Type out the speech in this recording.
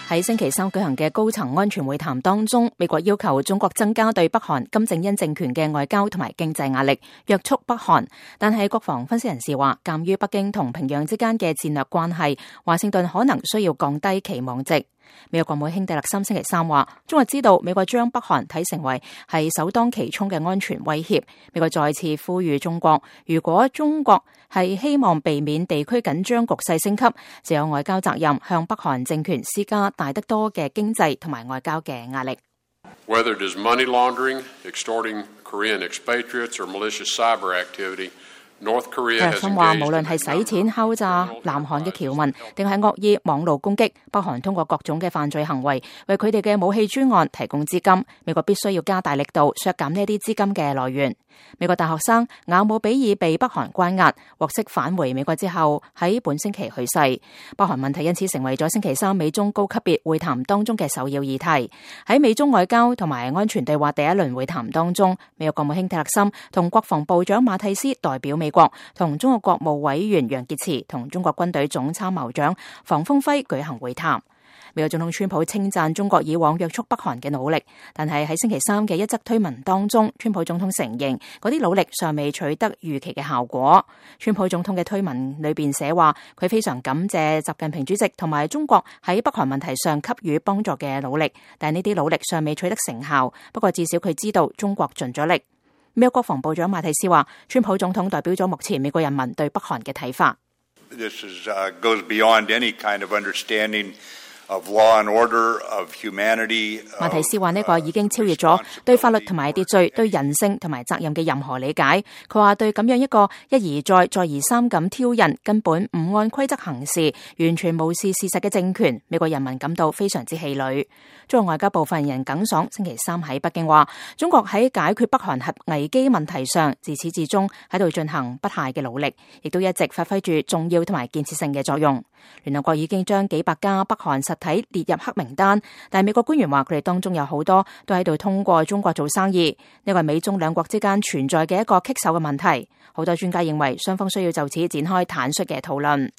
喺星期三舉行嘅高層安全會談當中，美國要求中國增加對北韓金正恩政權嘅外交同埋經濟壓力，約束北韓。但係國防分析人士話，鑑於北京同平壤之間嘅戰略關係，華盛頓可能需要降低期望值。美國國務卿蒂勒森星期三話，中國知道美國將北韓睇成為係首當其衝嘅安全威脅。美國再次呼籲中國，如果中國係希望避免地區緊張局勢升級，就有外交責任向北韓政權施加大得多嘅經濟同埋外交嘅壓力。Whether it is money laundering, extorting Korean expatriates or malicious cyber activity,蒂勒森話，無論係洗錢敲詐南韓嘅僑民，定係惡意網路攻擊，北韓通過各種嘅犯罪行為，為佢哋嘅武器專案提供資金。美國必須要加大力度削減呢啲資金嘅來源。美國大學生雅姆比爾被北韓關押，獲釋返回美國之後，喺本星期去世。北韓問題因此成為咗星期三美中高級別會談當中嘅首要議題。喺美中外交同埋安全對話第一輪會談當中，美國國務卿蒂勒森同國防部長馬蒂斯代表美國同中國國務委員楊潔篪同中國軍隊總參謀長房峰輝舉行會談。美國總統川普稱讚中國以往約束北韓嘅努力，但係喺星期三嘅一則推文當中，川普總統承認嗰啲努力尚未取得預期嘅效果。川普總統嘅推文裏邊寫話，佢非常感謝習近平主席同埋中國喺北韓問題上給予幫助嘅努力，但呢啲努力尚未取得成效。不過至少佢知道中國盡咗力。美國國防部長馬蒂斯話，川普總統代表咗目前美國人民對北韓嘅睇法。This goes beyond any kind of understanding of law and order, of humanity. 馬蒂斯話呢個已經超越咗對法律同埋秩序、對人性同埋責任嘅任何理解。佢話對咁樣一個一而再、再而三咁挑釁、根本唔按規則行事、完全無視事實嘅政權，美國人民感到非常之氣餒。中國外交部發言人耿爽星期三喺北京話，中國喺解決北韓核危機問題上，自始至終喺度進行不懈嘅努力，亦都一直發揮住重要同埋建設性嘅作用。聯合國已經將幾百家北韓實體列入黑名單，但係美國官員話佢哋當中有好多都喺度通過中國做生意，呢個係美中兩國之間存在嘅一個棘手嘅問題。好多專家認為雙方需要就此展開坦率嘅討論。